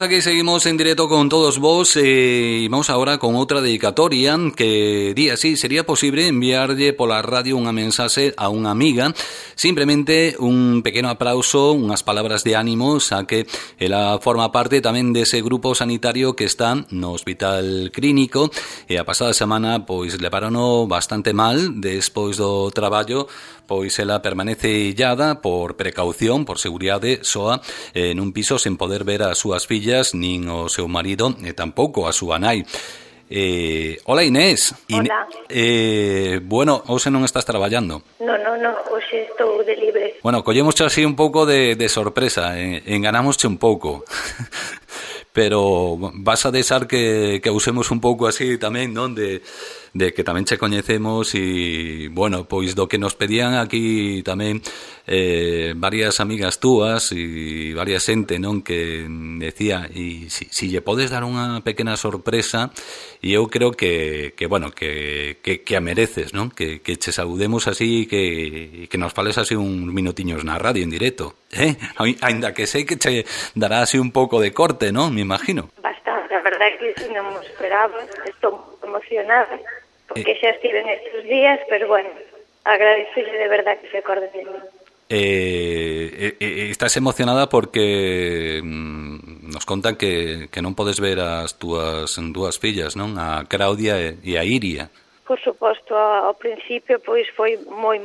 Aquí seguimos en directo con todos vos y vamos ahora con outra dedicatoria que di así, sería posible enviarlle pola radio unha mensaxe a unha amiga, simplemente un pequeno aplauso, unhas palabras de ánimo, xa que ela forma parte tamén dese grupo sanitario que está no Hospital Clínico e a pasada semana pois levarono bastante mal despois do traballo, pois ela permanece illada por precaución, por seguridade soa, nun piso sen poder ver as súas fillas nin o seu marido e tampouco a súa nai. Hola Inés. Hola. Bueno, hoxe non estás traballando. No, hoxe estou de libre. Bueno, collemosche así un pouco de sorpresa, enganámosche un pouco. Pero vas a deixar que usemos un pouco así tamén, non? De que tamén che coñecemos e, bueno, pois do que nos pedían aquí tamén varias amigas túas e varias xente, non? Que decía, e si lle podes dar unha pequena sorpresa, e eu creo que bueno, que a mereces, non? Que che saludemos así, que nos fales así uns minutiños na radio en directo, Ainda que sei que che dará así un pouco de corte, non? Me imagino. Bastante, a verdade que si non me esperaba, estou emocionada, porque xa estive estes días, pero bueno, agradecele de verdade que se acorde de mí. Estás emocionada porque nos contan que non podes ver as túas dúas fillas, non? A Claudia e a Iria. Por suposto, ao principio pois foi moi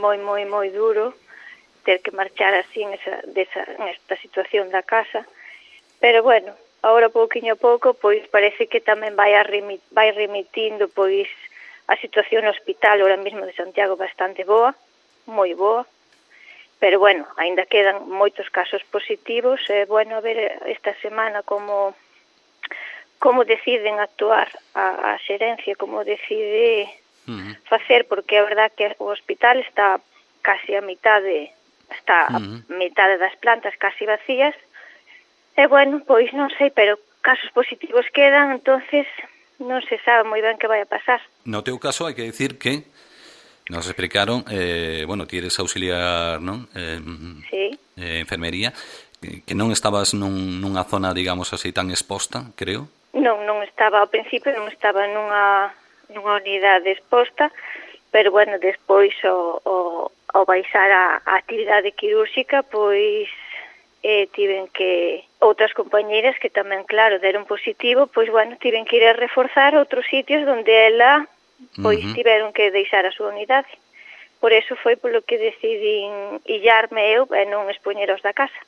duro ter que marchar así en esta situación da casa, pero bueno, agora pouquiño a pouco pois parece que tamén vai remitindo pois a situación no hospital ahora mesmo de Santiago bastante boa, moi boa, pero bueno, aínda quedan moitos casos positivos e bueno, a ver esta semana como deciden actuar a xerencia, como decide facer, porque a verdad que o hospital está casi a mitade das plantas casi vacías e bueno, pois non sei, pero casos positivos quedan, entonces non se sabe moi ben que vai a pasar. No teu caso hai que decir que nos explicaron, bueno, ti eres auxiliar, non? Sí. Enfermería, que non estabas nunha zona, digamos así, tan exposta, creo? Non estaba, ao principio non estaba nunha unidade exposta, pero bueno, despois ao baixar a actividade quirúrxica, pois tiven que outras compañeiras que tamén, claro, deron positivo, pois bueno, tiven que ir a reforzar outros sitios onde ela pois tiveron que deixar a súa unidade. Por eso foi polo que decidín illarme eu e non expoñer aos da casa.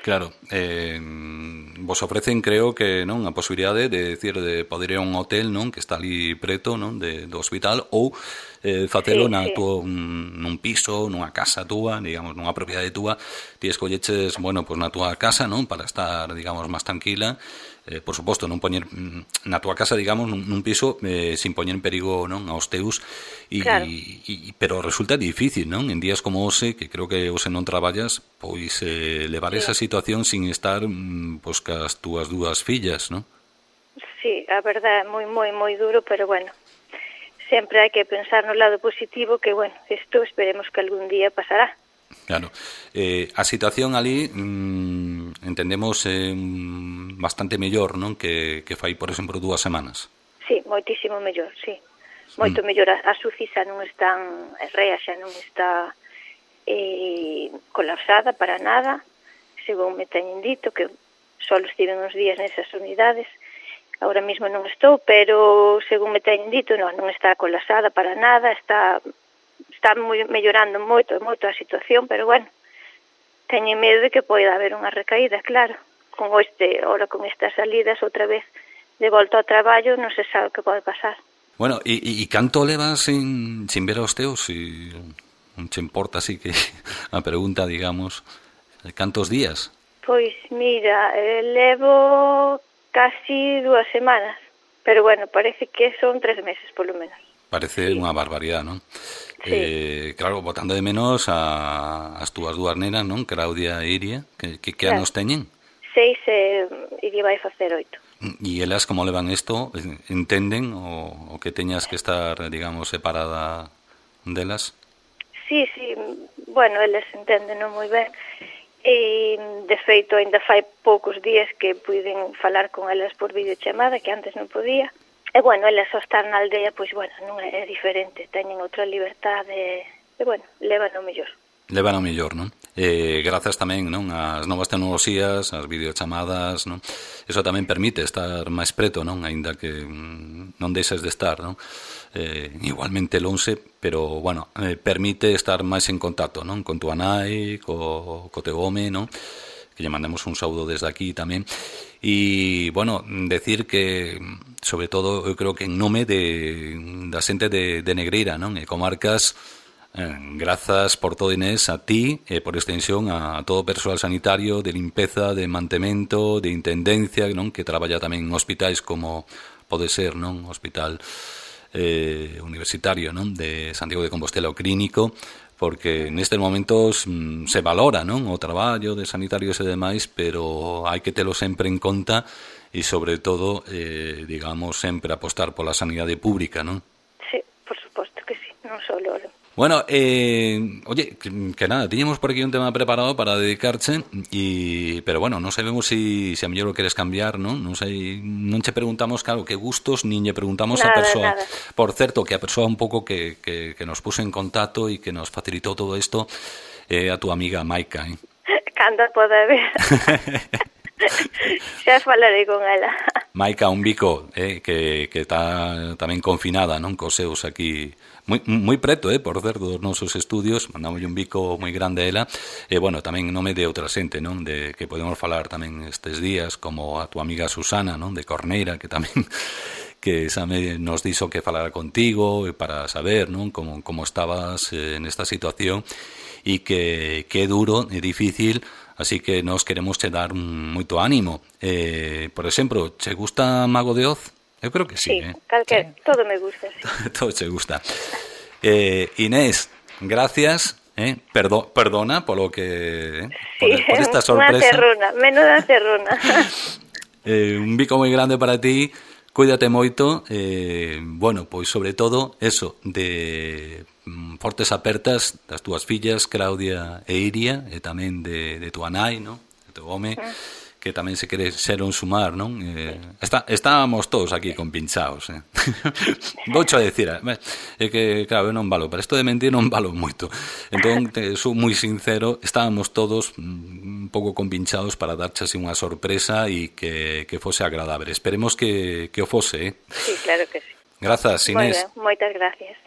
Claro, vos ofrecen, creo que, non, a posibilidade de poder ir a un hotel, non, que está ali preto, non, do hospital, ou facelo nun piso, nunha casa túa, digamos, nunha propiedade túa. Ti escolleches, bueno, pois na túa casa, non, para estar, digamos, máis tranquila. Por suposto, non poñer na túa casa, digamos, nun piso sin poñer en perigo, non, aos teus, claro. Pero resulta difícil, non? En días como hoxe, que creo que hoxe non traballas, pois levar esa situación sin estar pois cas túas dúas fillas, non? Sí, a verdade é moi duro, pero bueno, sempre hai que pensar no lado positivo, que bueno, isto esperemos que algún día pasará. Claro. A situación ali entendemos bastante mellor, non? Que fai, por exemplo, 2 semanas. Sí, moitísimo mellor, sí. Moito mellor. A SUCI xa non están, a REA xa non está colapsada para nada, según me teñen dito, que só estiven uns días nesas unidades. Ahora mesmo non estou, pero según me teñen dito, non está colapsada para nada, está mellorando moito a situación, pero bueno, teño medo de que poida haber unha recaída, claro. Con estas salidas outra vez de volta ao traballo, non se sabe o que pode pasar. Bueno, e canto levas sin ver aos teus? E non che importa así que a pregunta, digamos, cantos días? Pois mira, levo casi 2 semanas, pero bueno, parece que son 3 meses polo menos. Parece unha barbaridade, non? Sí. Claro, botando de menos as túas dúas nenas, non? Claudia e Iria, que claro. anos teñen? 6 e Iria vai facer 8. E elas como levan isto? Entenden o que teñas que estar, digamos, separada delas? Sí, bueno, eles entenden moi ben. E, de feito, ainda fai poucos días que puiden falar con elas por videochamada, que antes non podía. E, bueno, elas só estar na aldea, pois, bueno, non é diferente, teñen outra liberdade, e, bueno, levan o mellor. Levan o mellor, non? Grazas tamén, non, ás novas tecnoloxías, ás videochamadas, non? Eso tamén permite estar máis preto, non? Aínda que non deixes de estar, non? Igualmente lonxe, pero, bueno, permite estar máis en contacto, non? Con túa nai, co teu home, non? Que lle mandemos un saúdo desde aquí tamén. E, bueno, decir que, sobre todo, eu creo que en nome da xente de Negreira, non? E comarcas, grazas por todo, Inés, a ti e por extensión a todo o persoal sanitario de limpeza, de mantemento, de intendencia, non, que traballa tamén en hospitais como pode ser, non, hospital universitario, non, de Santiago de Compostela, o clínico, porque nestes momentos se valora, non, o traballo de sanitarios e demais, pero hai que telo sempre en conta e, sobre todo, digamos, sempre apostar pola sanidade pública, non? Sí, por suposto que sí, non só loro. Bueno, oye, que nada, tiñemos por aquí un tema preparado para dedicarche, pero bueno, non sabemos se a mellor o queres cambiar, non? Non sei, non che preguntamos, claro, que gustos, nin lle preguntamos nada, a persoa. Nada. Por certo, que a persoa un pouco que nos puso en contacto e que nos facilitou todo isto a túa amiga Maika, Cando pode ver. Xa falarei con ela. Maika, un bico que está tamén confinada, non, cos seus aquí moi preto, por certo, dos nosos estudios. Mandamos un bico moi grande a ela. E, bueno, tamén en nome de outra xente, non, de que podemos falar tamén estes días, como a tua amiga Susana, non, de Corneira, que tamén que nos dixo que falara contigo para saber, non, como estabas nesta situación, e que é duro e difícil. Así que nos queremos che dar moito ánimo. Por exemplo, che gusta Mago de Oz? Eu creo que sí. Calquer, sí. Todo me gusta. Sí. Todo che gusta. Inés, gracias. Perdona polo que... por esta sorpresa. Menuda cerruna. Un bico moi grande para ti. Cuídate moito. Bueno, pois sobre todo, eso, de fortes apertas das túas fillas, Claudia e Iria, e tamén de tua nai, non? De teu home, que tamén se quereron sumar, non? Estábamos todos aquí compinchados, Voucho a decir, é que, claro, eu non valo, para isto de mentir non valo moito. Entón, sou moi sincero, estábamos todos un pouco compinchados para darche así unha sorpresa e que fose agradable. Esperemos que o fose, Sí, claro que sí. Grazas, Inés. Moitas gracias.